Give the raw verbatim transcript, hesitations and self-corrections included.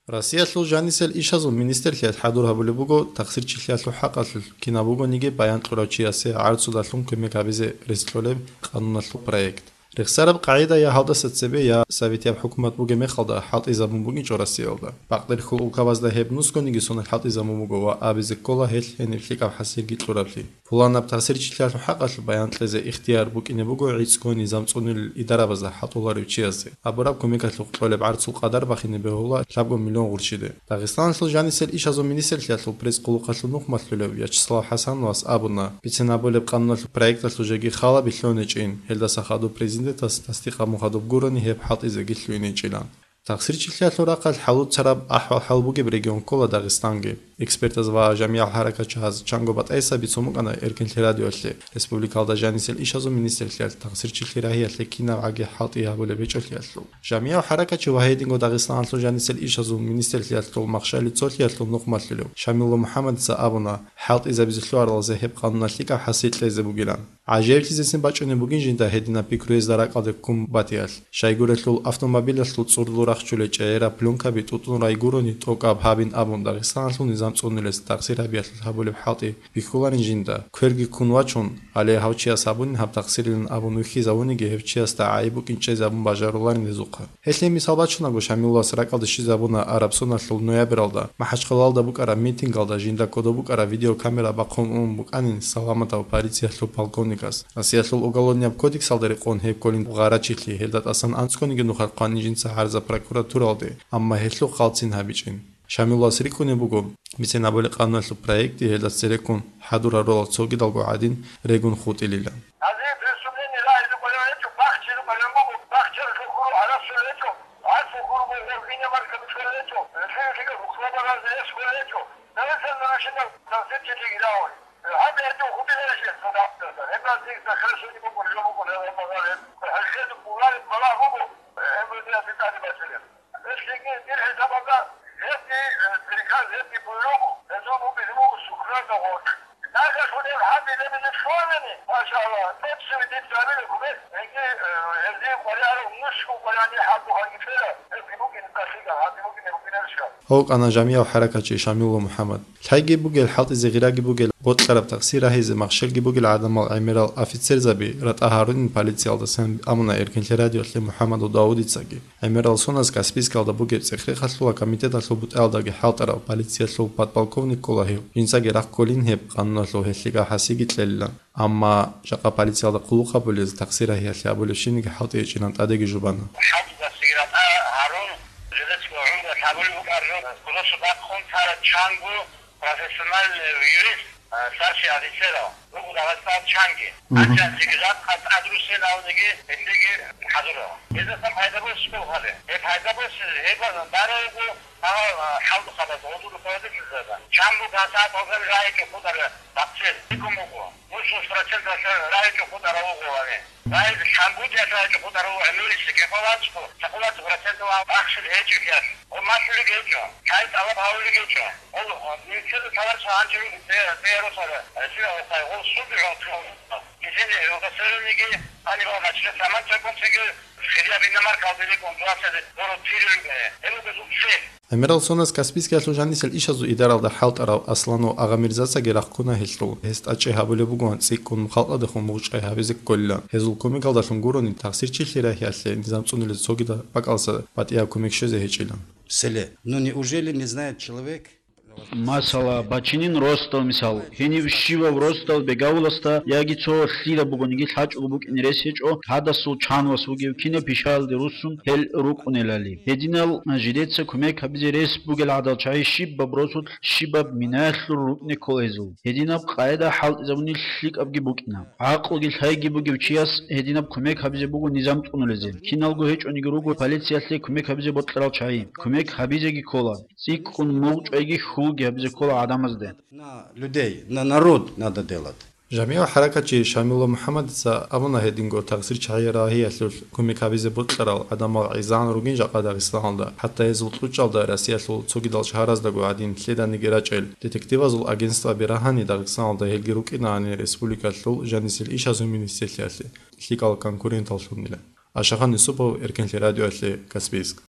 Россиялъул жанисел ишазул министрлъиялъ хӀадур гьабулеб буго тахсирчилъиялъул хӀакъалъулъ кинаб бугониги баян кьурав чиясе гӀарцудалъун кумек гьабизе рес кьолеб къануналъул проект. Рехсараб къагӀидая гьалдаса цебе я советияб хӀукумат бугеб мехалда хӀалтӀизабун букӀинчӀо Россиялда. Бакъдерхьул улкабазда гьеб нусгониги сонал хӀалтӀизабун буго ва абизе ккола гьелъ гьениб лъикӀаб хӀасилги кьураблъи. Пуланаб тахсирчилъиялъул хӀакъалъулъ баян кьезе ихтияр букӀине буго гӀицӀго низам цӀунул идарабазда хӀалтӀуларев чиясе. Абураб кумекалъухъ кьолеб гӀарцул къадар бахине бегьула лъабго миллион гъурччиде. Дагъистаналъул жанисел ишазул министрлъиялъул пресс-къулухъалъул нухмалъулев Вячеслав ХӀасановас абуна, бицен гьабулеб къануналъул проекталъул жеги хал бихьуничӀин, гьелдаса хадуб президентас тасдикъ гьабун хадуб гурони гьеб хӀалтӀизеги лъугьиничӀилан. Тахсирчилъиялъул рахъалъ хӀалуцараб ахӀвал-хӀал бугеб регион ккола Дагъистанги. Экспертаз ва жамигӀал хӀаракатчияз чанго батӀайсаби цо букӀана Эркинлъи радиоялъе, республикалда жанисел ишазул министрлъиялъ тахсирчилъи рагьиялъе кинабгӀаги хӀалтӀи гьабулеб гьечӀолъиялъул. ЖамигӀав хӀаракатчи ва гьединго Дагъистаналъул жанисел ишазул министрлъиялъул махщали цолъиялъул нухмалъулев Шамилла МухӀаммадица абуна, хӀалтӀизабизе лъугьаралазе гьеб къануналъ лъикӀаб хӀасил кьезе бугилан. ГӀажаиблъизесин бачӀунеб бугин жинда гьединаб пикругьезда ракӀалде ккун батиялъ. Щайгурелъул автомобилалъул цӀурдул рахчулел чӀегӀераб плёнкаби тӀутӀун райгурони тӀокӀаб гьабин абун Дагъистаналъул низам цӀунулес тахсир гьабиялъулъ гьабулеб хӀалтӀи бихьуларин жинда, кверги ккун вачун, гьале гьав чияс гьабунин гьаб тахсирилан абун вихьизавуниги гьев чиясда гӀайиб букӀин чӀезабун бажаруларин гьезухъа. Гьелъие мисал бачунаго, Шамилулас ракӀалде щвезабуна араб соналъул ноябралда МахӀачхъалалда букӀараб митингалда жинда кодоб букӀараб видеокамера бахъун ун букӀанин саламатав полициялъул полковникас. Россиялъул Уголовнияб кодексалда рекъон гьеб кколин гъарачилъи, гьелда тӀасан анцӀгониги нухалъ хъвани жинца гӀарза прокуратуралде, амма гьелъухъ хъалцин гьабичӀин. Шамилулас рикӀкӀунеб буго, бицен гьабулеб къануналъул проекти гьелда цереккун хӀадур гьарурал цогидалго гӀадин регун хутӀилилан. Гьазие преступление рагьизе къваригӀун гьечӀо, бахчизе къваригӀун буго, бахчаралъул хуру гӀараб щолел гьечӀо, гӀарцул хуру бугъул иномарка бицунел гьечӀо, лъикӀ-лъикӀал рухӀлабаразда эс кколел гьечӀо, давлеталда машина транзитчилъиги рагьун. Гьаб гьечӀо хутӀиларищ гьеб цадахъ, гьеб гьазие захирлъуни букӀун, жо букӀун, гьеб гьеб гьеб. ХӀалхьезе бугъараб балагь буго, гьеб гьезие тӀаде бачӀараб. Гьелъиги дир хӀисабалда гьебги, э, приказ, гьебги буйругъ, гьезул бугелъул сухӀралда гъоркь. Нагагь гьунеб гьабилеб лъугьанани, машаллагь, тӀоцеве дица гьабила гьеб, гьеги, э, гьезие къваригӀарав нусго къваригӀани хӀакъу гьанги ккела, гьебги букӀин тӀахьида, гьабги букӀине букӀинарищха? ГьавкӀана жамигӀав хӀаракатчи Шамилла МухӀаммад. Лъайги бугел, хӀалтӀизе гъираги бугел, бокьараб тахсир рагьизе махщелги бугел гӀадамал гӀемерал офицерзаби ратӀа гьарунин полициялдасан абуна Эркинлъи радиоялъе МухӀаммадов Давудицаги. ГӀемерал соназ Каспийскалда бугеб цӀех-рехалъула комитеталъул бутӀаялдаги хӀалтӀарав полициялъул подполковник ккола гьев. Жинцаги рахъ кколин гьеб къануналъул гьелъ лъикӀаб хӀасиги кьелилан. Амма жакъа полициялда хъулухъ гьабулез, тахсир рагьиялъе гьабулебщиниги хӀалтӀи гьечӀилан тӀадеги жубана. ХӀалтӀизаб сиграта гьарун, жидецго гӀумру лъабулеб букӀараб жо, кодоса бахъун цараб чанго профессиональный юрист, а, старший офицерал, руго Дагъистан чанги. Мгм. Анчанлъиги жакъа тӀадрусиналниги гьелъиги хӀадурал. Гьезасан пайда босичӀо гьале. Гьеб пайда босизе, гьеб барав вуго, а, а, хӀалдухъабаз гъодулухъабазда. Чанго гьасаб гьаб рагьичӀо хутӀараб бахъсел. Гьикъун буго. Мусул проценталъ рагьичӀо хутӀарав вуго гьаниб. Гьай, лъабгудиялъ рагьичӀо хутӀарав вуго, гӀемерисеб кепалачӀо, цӀакъулаб проценталъ ахӀсул гьечӀеблъиялъ. Гъо, малъулеб гьечӀо, гьай, тӀалаб гьавулеб гьечӀо. Гъо, нилъеда таларча гьанже руго, те, те росара, сира гъо, гъо, суд гӀун, гьезин гьев гъасаруниги, гьанибал начале саман чӀакӀун цеги, хирияб иномаркалде рекӀун дугьасаде боро тирилуге. Гьеб буго зуб цел. ГӀемерал соназ Каспийскиялъул жанисел ишазул идаралда хӀалтӀарав Асланов Агъамирзацаги рахъуна гьелъул. Гьес тӀачӀи гьабулеб бугоан цӀикӀкӀун халкъалдехун мугъчӀвай гьабизе кколилан. Гьезул кумекалдалъун гурони тахсирчилъи рагьиялъе низам цӀунулез цогидал бакӀалса батӀияб кумек щвезе гьечӀилан. Селе, ну неужели не знает человек? Масала, бачинин росдал мисал. Гьенив щивав росдал бегавуласда яги цо лъила бугониги лъачӀого букӀине рес гьечӀо, гьадасул чанвас вугев кинаб пишаялде руссун гьел рукӀунелали. Гьединал жидеца кумек гьабизе рес бугел гӀадал чагӀи щибаб росулъ, щибаб минаялъул рукӀине ккола гьезул. Гьединаб къагӀида хӀалтӀизабуни лъикӀабги букӀина. ГӀакълуги лъайги бугев чияс гьединаб кумек гьабизе буго низам цӀунулезе. Киналго гьечӀониги руго полициялъе кумек гьабизе бокьарал чагӀи. Кумек гьабизеги ккола. ЦӀикӀкӀун мугъчӀвайги хьулги гьабизе ккола гӀадамазде. На людей, на народ надо делать. ЖамигӀав хӀаракатчи Шамилла МухӀаммадица абуна гьединго тахсир чагӀи рагьиялъулъ кумек гьабизе бокьарал гӀадамал гӀезегӀан ругин жакъа Дагъистаналда, хӀатта гьезул кьучӀалда Россиялъул цогидал шагьараздаго гӀадин лъеданиги рачӀел детективазул агентстваби рагьани Дагъистаналда гьелги рукӀинани республикалъул жанисел ишазул министрлъиялъе лъикӀал конкуренталлъунила. Ашахан Юсупов, Эркинлъи радиоялъе, Каспийск.